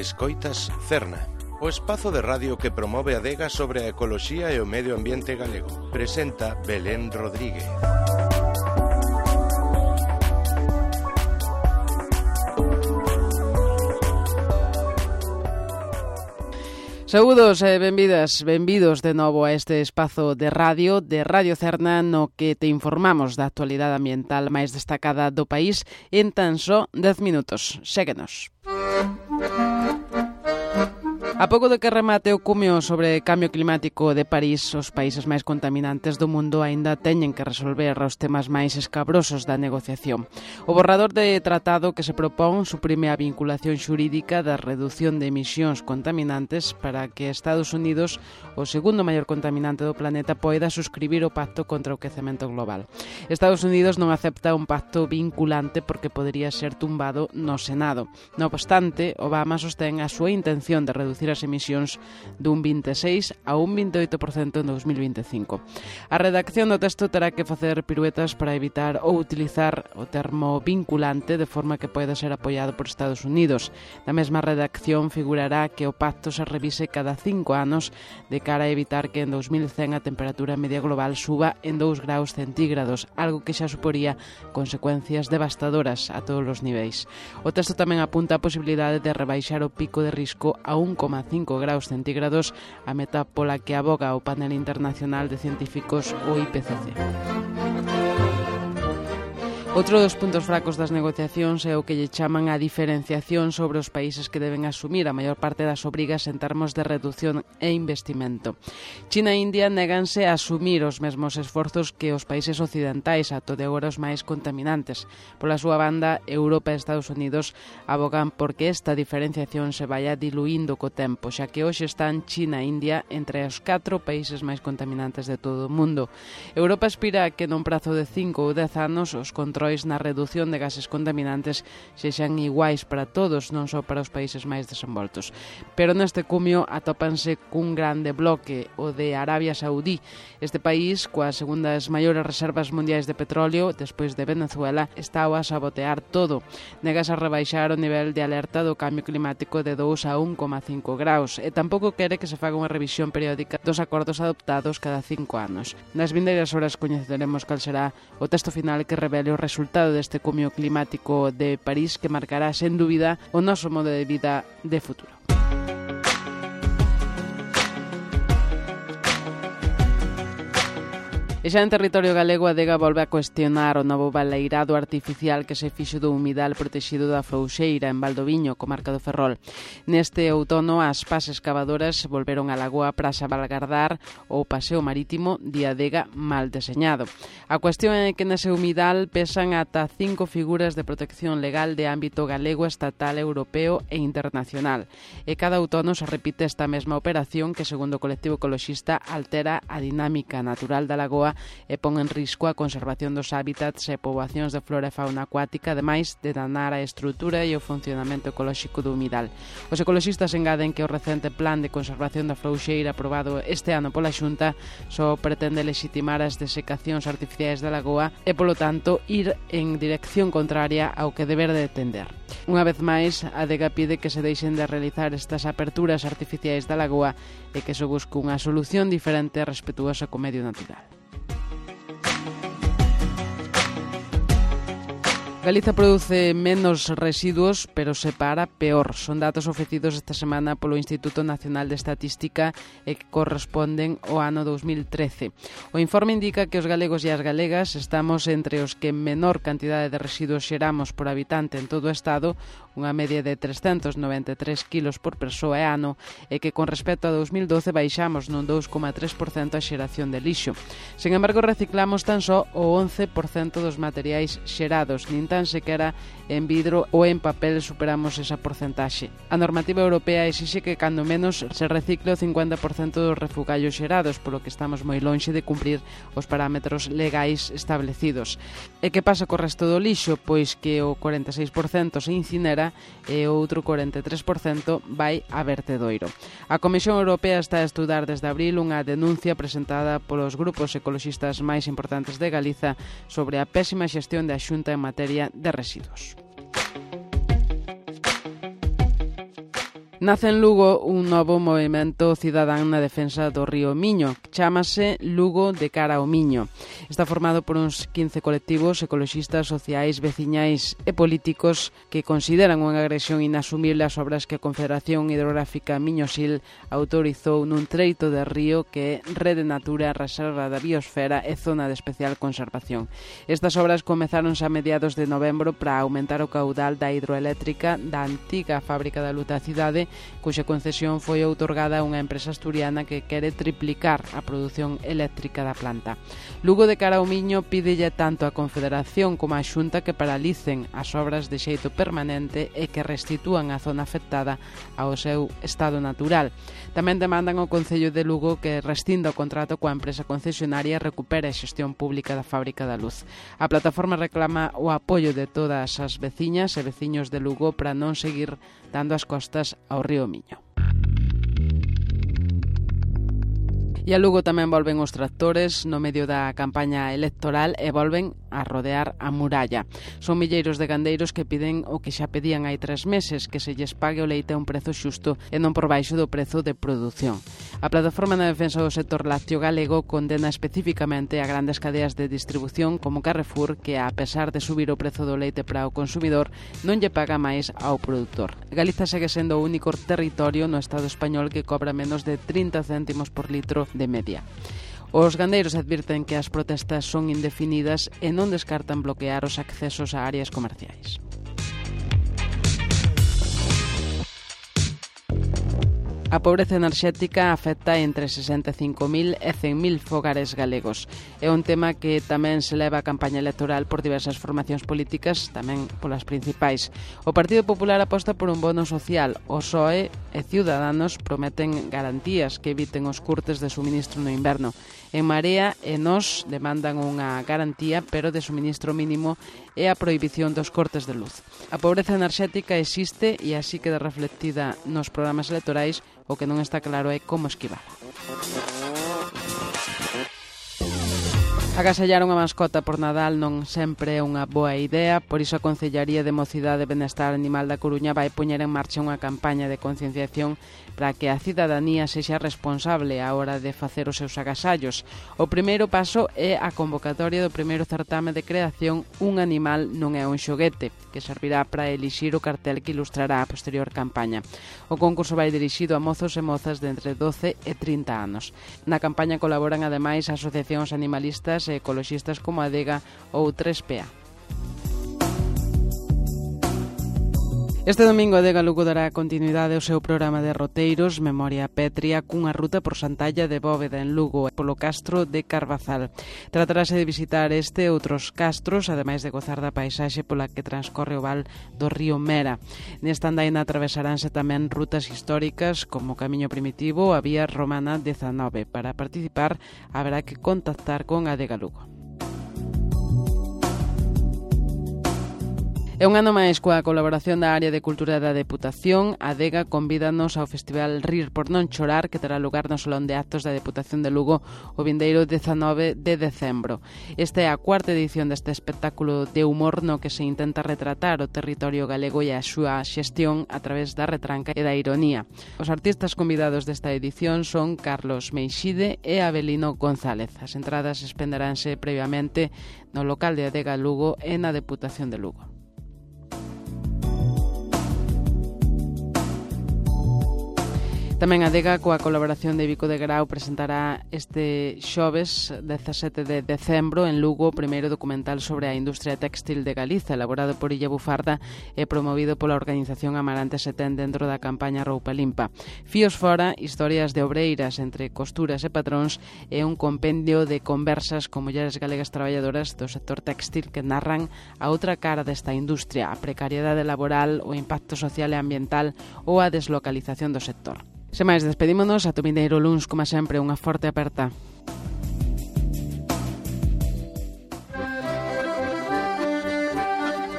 Escoitas Cerna, o espazo de radio que promove a adega sobre a ecoloxía e o medio ambiente galego. Presenta Belén Rodríguez. Saúdos e benvidos de novo a este espazo de Radio Cerna, no que te informamos da actualidade ambiental máis destacada do país en tan só 10 minutos. Séguenos. A pouco de que remate o cumio sobre cambio climático de París, os países máis contaminantes do mundo aínda teñen que resolver os temas máis escabrosos da negociación. O borrador de tratado que se propón suprime a vinculación xurídica da redución de emisións contaminantes para que Estados Unidos, o segundo maior contaminante do planeta, poida suscribir o Pacto contra o Quecemento Global. Estados Unidos non acepta un pacto vinculante porque podería ser tumbado no Senado. Non obstante, Obama sostén a súa intención de reducir as emisións dun 26 a un 28% en 2025. A redacción do texto terá que facer piruetas para evitar ou utilizar o termo vinculante de forma que poida ser apoiado por Estados Unidos. Na mesma redacción figurará que o pacto se revise cada 5 anos de cara a evitar que en 2100 a temperatura media global suba en 2 graus centígrados, algo que xa suporía consecuencias devastadoras a todos os niveis. O texto tamén apunta a posibilidade de rebaixar o pico de risco a 1,5 graus centígrados, a meta pola que aboga o panel internacional de científicos, o IPCC. Outro dos puntos fracos das negociacións é o que lle chaman a diferenciación sobre os países que deben asumir a maior parte das obrigas en termos de reducción e investimento. China e India néganse a asumir os mesmos esforzos que os países occidentais, ata de agora os máis contaminantes. Pola súa banda, Europa e Estados Unidos abogan porque esta diferenciación se vaya diluindo co tempo, xa que hoxe están China e India entre os 4 países máis contaminantes de todo o mundo. Europa aspira a que nun prazo de 5 ou 10 anos os controis na reducción de gases contaminantes sexan iguais para todos, non só para os países máis desenvoltos. Pero neste cumio atópanse cun grande bloque, o de Arabia Saudí. Este país, coas segundas maiores reservas mundiais de petróleo, despois de Venezuela, está a sabotear todo. Negas a rebaixar o nivel de alerta do cambio climático de 2 a 1,5 graus e tampouco quere que se faga unha revisión periódica dos acordos adoptados cada 5 anos. Nas vindeiras horas coñeceremos cal será o texto final que revele o resultado deste cumio climático de París, que marcará, sen dúbida, o noso modo de vida de futuro. E xa en territorio galego, a adega volve a cuestionar o novo baleirado artificial que se fixo do humidal protexido da Frouxeira, en Valdoviño, comarca do Ferrol. Neste outono, as pas excavadoras volveron á lagoa para salvagardar o paseo marítimo de adega mal deseñado. A cuestión é que nese humidal pesan ata 5 figuras de protección legal de ámbito galego, estatal, europeo e internacional. E cada outono se repite esta mesma operación que, segundo o colectivo ecoloxista, altera a dinámica natural da lagoa e pon en risco a conservación dos hábitats e poboacións de flora e fauna acuática, ademais de danar a estrutura e o funcionamento ecolóxico do humidal. Os ecoloxistas engaden que o recente plan de conservación da Frouxeira aprobado este ano pola Xunta só pretende legitimar as desecacións artificiais da lagoa e, polo tanto, ir en dirección contraria ao que deber de tender. Unha vez máis, a adega pide que se deixen de realizar estas aperturas artificiais da lagoa e que se busque unha solución diferente e respetuosa co medio natural. Galiza produce menos residuos, pero separa peor. Son datos ofrecidos esta semana polo Instituto Nacional de Estatística e que corresponden ao ano 2013. O informe indica que os galegos e as galegas estamos entre os que menor cantidade de residuos xeramos por habitante en todo o Estado, unha media de 393 kilos por persoa e ano, e que con respecto a 2012 baixamos nun 2,3% a xeración de lixo. Sen embargo, reciclamos tan só o 11% dos materiais xerados, nin tan sequera en vidro ou en papel superamos esa porcentaxe. A normativa europea exixe que cando menos se recicle o 50% dos refugallos xerados, polo que estamos moi lonxe de cumprir os parámetros legais establecidos. E que pasa co resto do lixo? Pois que o 46% se incinera e o outro 43% vai a vertedoiro. A Comisión Europea está a estudar desde abril unha denuncia presentada polos grupos ecoloxistas máis importantes de Galiza sobre a pésima xestión da Xunta en materia de residuos. Nace en Lugo un novo movemento cidadán na defensa do río Miño, que chámase Lugo de cara ao Miño. Está formado por uns 15 colectivos ecoloxistas, sociais, veciñais e políticos que consideran unha agresión inasumible as obras que a Confederación Hidrográfica Miño-Sil autorizou nun treito de río que é Rede Natura, Reserva da Biosfera e Zona de Especial Conservación. Estas obras comezáronse a mediados de novembro para aumentar o caudal da hidroeléctrica da antiga fábrica da luz da cidade, cuxa concesión foi outorgada a unha empresa asturiana que quere triplicar a produción eléctrica da planta. Lugo de cara ao Miño pídelle tanto a Confederación como a Xunta que paralicen as obras de xeito permanente e que restitúan a zona afectada ao seu estado natural. Tamén demandan ao Concello de Lugo que rescinda o contrato coa empresa concesionaria e recupere a xestión pública da fábrica da luz. A plataforma reclama o apoio de todas as veciñas e veciños de Lugo para non seguir dando as costas ao río Miño. E a Lugo tamén volven os tractores no medio da campaña electoral e volven a rodear a muralla. Son milleiros de gandeiros que piden o que xa pedían hai 3 meses, que se lles pague o leite a un prezo xusto e non por baixo do prezo de produción. A Plataforma na Defensa do Sector Lácteo Galego condena especificamente a grandes cadeas de distribución como Carrefour, que a pesar de subir o prezo do leite para o consumidor, non lle paga máis ao produtor. Galiza segue sendo o único territorio no Estado español que cobra menos de 30 céntimos por litro de media. Os gandeiros advirten que as protestas son indefinidas e non descartan bloquear os accesos a áreas comerciais. A pobreza enerxética afecta entre 65.000 e 100.000 fogares galegos. É un tema que tamén se leva a campaña electoral por diversas formacións políticas, tamén polas principais. O Partido Popular aposta por un bono social. O PSOE e Ciudadanos prometen garantías que eviten os curtes de suministro no inverno. En Marea e Nós demandan unha garantía, pero de suministro mínimo e a prohibición dos cortes de luz. A pobreza enerxética existe e así queda reflectida nos programas electorais. O que non está claro é como esquivala. Agasallar unha mascota por Nadal non sempre é unha boa idea, por iso a Concellaría de Mocidade e Benestar Animal da Coruña vai poñer en marcha unha campaña de concienciación para que a cidadanía sexa responsable á hora de facer os seus agasallos. O primeiro paso é a convocatoria do primeiro certame de creación Un animal non é un xoguete, que servirá para elixir o cartel que ilustrará a posterior campaña. O concurso vai dirixido a mozos e mozas de entre 12 e 30 anos. Na campaña colaboran ademais asociacións animalistas e ecoloxistas como a Adega ou 3PA. Este domingo a Adega Lugo dará continuidade ao seu programa de roteiros Memoria Pétrea cunha ruta por Santalla de Bóveda en Lugo polo castro de Carvazal. Tratarase de visitar este e outros castros, ademais de gozar da paisaxe pola que transcorre o val do río Mera. Nesta andaina atravesaránse tamén rutas históricas como o Camiño Primitivo ou a Vía Romana 19. Para participar haberá que contactar con Adega Lugo. É un ano máis coa colaboración da Área de Cultura da Deputación. A Adega convídanos ao Festival Rir por non chorar, que terá lugar no Salón de Actos da Deputación de Lugo o vindeiro 19 de decembro. Esta é a 4ª edición deste espectáculo de humor no que se intenta retratar o territorio galego e a súa xestión a través da retranca e da ironía. Os artistas convidados desta edición son Carlos Meixide e Abelino González. As entradas espenderánse previamente no local de Adega Lugo e na Deputación de Lugo. Tamén a Adega, coa colaboración de Vico de Grau, presentará este xoves 17 de decembro en Lugo o primeiro documental sobre a industria téxtil de Galiza, elaborado por Illa Bufarda e promovido pola organización Amarante Setén dentro da campaña Roupa Limpa. Fíos fora, historias de obreiras entre costuras e patróns e un compendio de conversas con mulleres galegas traballadoras do sector téxtil que narran a outra cara desta industria, a precariedade laboral, o impacto social e ambiental ou a deslocalización do sector. Sen máis, despedímonos ata o vindeiro luns, como sempre, unha forte aperta.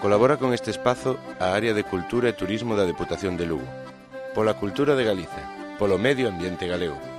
Colabora con este espazo a Área de Cultura e Turismo da Deputación de Lugo. Pola cultura de Galiza, polo medio ambiente galego.